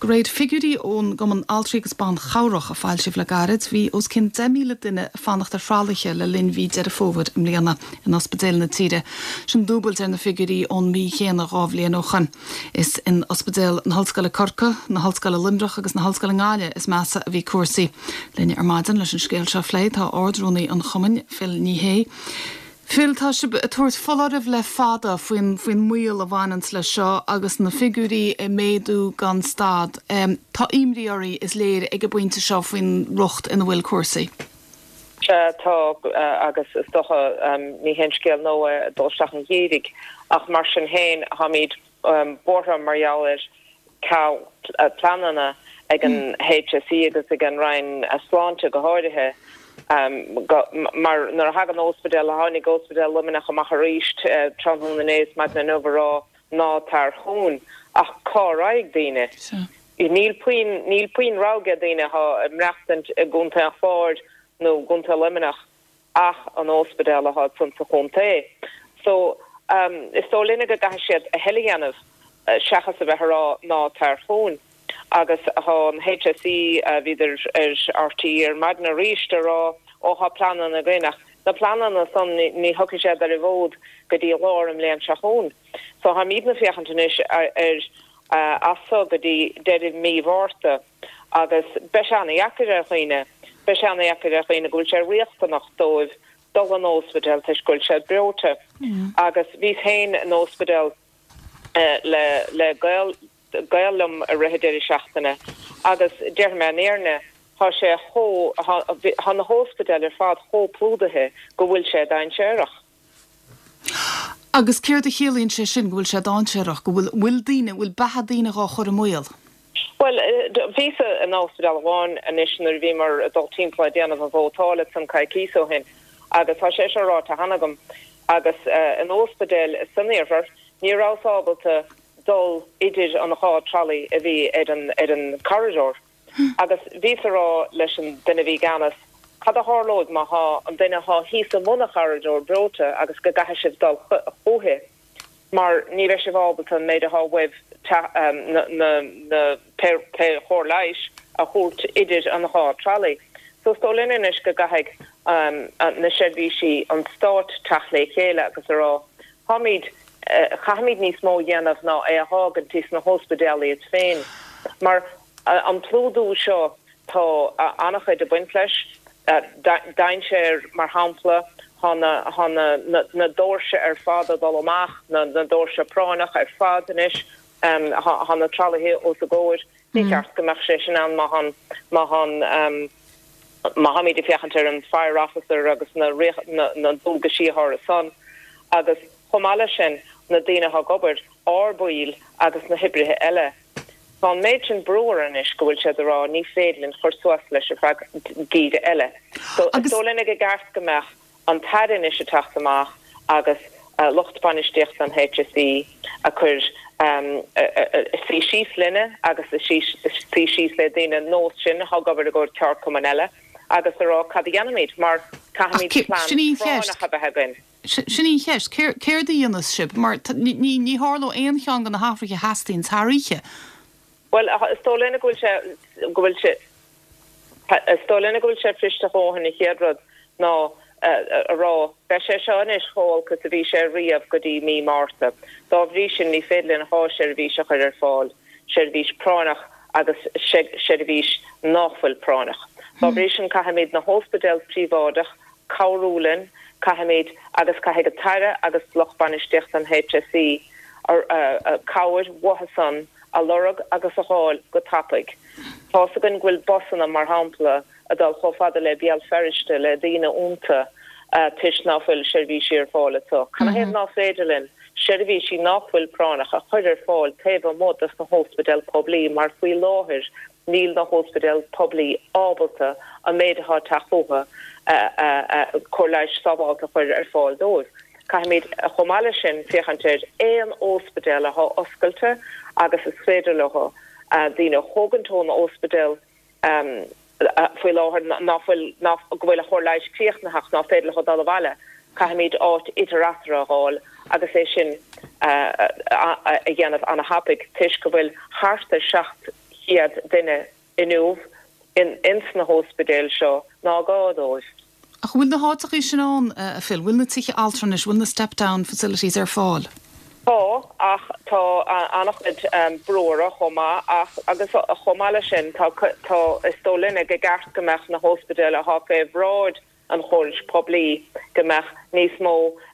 réir figiúirí ón gCumann Altraí agus Ban Chabhrach a foilsíodh le gairid, bhí os cionn 10,000 duine ag fanacht ar thralaithe le linn mhí Deireadh Fómhair i mbliana in ospidéil na tíre. Sin dúbailt ar na figiúirí ón mí chéanna 2 bhliain ó shoin. Is in Ospidéal na hOllscoile Corcaigh, na hOllscoile Luimneach agus na hOllscoile nGaillimh is measa a bhí cúrsaí. Linn ar maidin leis an scéal seo a phlé tá Ard-Rúnaí an Chumainn, Phil Ní Sheaghdha. Phil, tá sibh ag tabhairt foláirimh le fada faoin faoin mbaol a bhaineanns leis seo agus na figiúirí ag méadú gan stad. Tá imní oraibh, is léir, ag an bpointe seo faoin riocht ina bhfuil cúrsaí. Sea, tá, agus is dócha, ní haon scéal nua é dul isteach an gheimhridh, ach mar sin féin, táimid buartha mar gheall ar ceal pleananna ag an HSE agus ag an Roinn Sláinte go háirithe mar nuair a thagann ospidéal, tháinig Ospidéal Luimneach amach arís tráthnóna inné is maidin inniu a rá ná tar chugainn ach cá raghaidh daoine? Níl puinn, níl puinn rogha ag daoine atá ag maireachtaint i gContae an Chláir nó gContae Luimneach. ach an óspidéal athá ansan sa chontae. So, is dóigh linne go gcaithfidh siad a thuilleadh a dhéanamh seachas a bheith a rá ná tar chugainn. Agus thá an HSE, bhíodar ar RTÉ ar maidin arís a rá ó thá pleananna againn ach na pleananna san ní thiocfaidh siad ar an bhfód go dtí lár an mbliain seo chugainn. So tháimídne féachaint anois ar as so go dtí deireadh mí Mhárta. Agus beidh sé ana-dheacair ar dhaoine, beidh sé ana-dheacair ar dhaoine go bhfuil sé riachtanach dóibh dul an óspidéal toisc go bhfuil siad breoite. Agus bhíos féin in óspidéal le le gaol gaol liom i rith an deireadh seachtaine agus déarfaidh mé an fhírinne, tá sé chomh, tá na hóspidéil ar fad chomh plúdaithe go bhfuil sé dainséarach. Agus céard a chiallaíonn sé sin, go bhfuil sé dainséarach, go bhfuil, bhfuil daoine, bhfuil beatha daoine dhá chur i mbaol? Bhuel, bhíos in ospidéal amháin anois nuair a bhíomar ag dul timpeall ag déanamh an vótáil ansan coicíos ó shin agus tá sé seo ráite cheana agam agus in ospidéal san iarthar ní rabhas ábalta dul idir an dhá trolley a bhí ar an, ar an corridor. Agus bhíos a rá leis an duine a bhí i gceannas, cad a tharlóidh má thá an duine athá thíos i mbun an chorridor breoite agus go gcaithfidh sibh dul chúithi mar ní bheidh sibh ábalta an méid athá uaibh na na pé pé chóir leighis a thabhairt idir an dhá trolley. So is dóigh linn anois go gcaithfidh na seirbhísí an stáit teacht le chéile agus a rá Táimid, caithfimid níos mó a dhéanamh ná é a fhágaint sna hóspidéil iad féin. Mar an plódú seo tá an-chuid ag baint leis. Dainséar, mar shampla, tá na, tá na, na doirse ar fad ag dul amach, na doirse práinneach ar fad anois, tá na tralaithe os a gcomhair. Ní ceart go mbeadh sé sin ann má tá, má tá an, má tháimid ag féachaint ar an fire officer agus na na dualgaisí atá orthu san agus chomh maith leis sin na daoine atá ag obair, ár baill agus na hoibrithe eile. Tá an méid sin brú orthu anois go bhfuil siad ag rá ní féidir linn chur suas leis ar feadh geimhridh eile. So is dóigh linn gur ceart go mbeadh an tAire anois ag teacht amach agus lucht bainistíochta an HSE ag cur suí síos linne agus suí síos le daoine nós sinn atá ag obair i gcomhair ceardchumainn eile agus a rá cad a dhéanfaimid mar caithfimid plean práinneach a bheith againn. Sin í an cheist, céard a dhéanfas sibh? Mar ní tharlóidh aon cheann de na hathruithe a theastaíonn thar oíche. Bhuel, is dóigh linne go bhfuil sé, go bhfuil sé, is dóigh linne go bhfuil sé fuirist a dhóthain an chéad rud ná a rá, beidh sé seo anois chomh holc is a bhí sé riamh go dtí mí Márta. Dá bhrí sin ní féidir linn 2 sheirbhís a chur ar fáil, seirbhís práinneach agus seirbhís nách bhfuil práinneach. Dá bhrí sin caithfimid na hóspidéil príobháideach cabhrú linn, caithfimid, agus caithfidh an tAire agus lucht bainistíochta an HSE cabhair uathu san a lorg agus a dh'fháil go tapaidh. Tá's againn go bhfuil busanna, mar shampla, ag dul chomh fada le Béal Feirste le daoine iontu toisc ná fuil seirbhísí ar fáil anso. Canathaobh ná féidir linn seirbhísí nách bhfuil práinneach a chur ar fáil taobh amuigh dos na hóspidéil poiblí mar faoi láthair níl na hóspidéil poiblí ábalta an méid atá ag teacht chucu cóir leighis sábhálta a chur ar fáil dóibh. Caithfimid, chomh maith leis sin, féachaint ar aon óspidéal atá oscailte agus is féidir leo daoine a thógaint ón óspidéal faoi láthair ná fuil, ná go bhfuil a chóir leighis críochnaithe ach ná féidir leo dul abhaile. Caithfimid áit idir eatarthu a dh'fháil agus é sin a dhéanamh ana-thapaidh toisc go bhfuil thart ar 700. chéad duine inniu in ins na hóspidéil seo ná gá dóibh. Ach an bhfuil na háiteachaí sin ann, a Phil? Bhfuil na tithe altranais, bhfuil na step down facilities ar fáil? Tá, ach tá an-chuid brú orthu chomh maith ach, agus chomh maith leis sin, tá, tá, is dóigh linne go gceart go mbeadh na hóspidéil athá fé bhráid an chórais poiblí, go mbeadh níos mó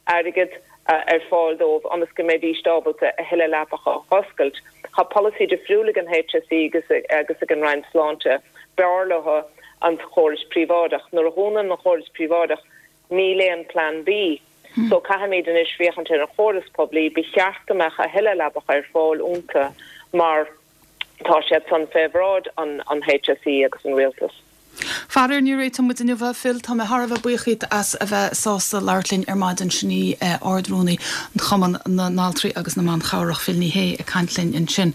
airgead ar fáil dóibh ionas go mbeidíst ábalta a thuilleadh leapacha a oscailt. Tá polasaí difriúil ag an HSE agus agus ag an Roinn Sláinte. B'fhearr leo an chórais príobháideach. Nuair a dhúnann an chóras príobháideach níl aon plan B. So caithfimid anois féachaint ar an chóras poiblí. Ba cheart go mbeadh a thuilleadh leapacha ar fáil iontu mar tá siad san fé bhráid an HSE agus an Rialtas. Faraor, ní réiteoidh muid inniu é, Phil. Tá mé thar a bheith buíoch dhíot as a bheith sásta labhairt linn ar maidin. Sin í Ard-Rúnaí Chumann na nAltraí agus na mBan Chabhrach, Phil Ní Sheaghdha, ag caint linn ansin.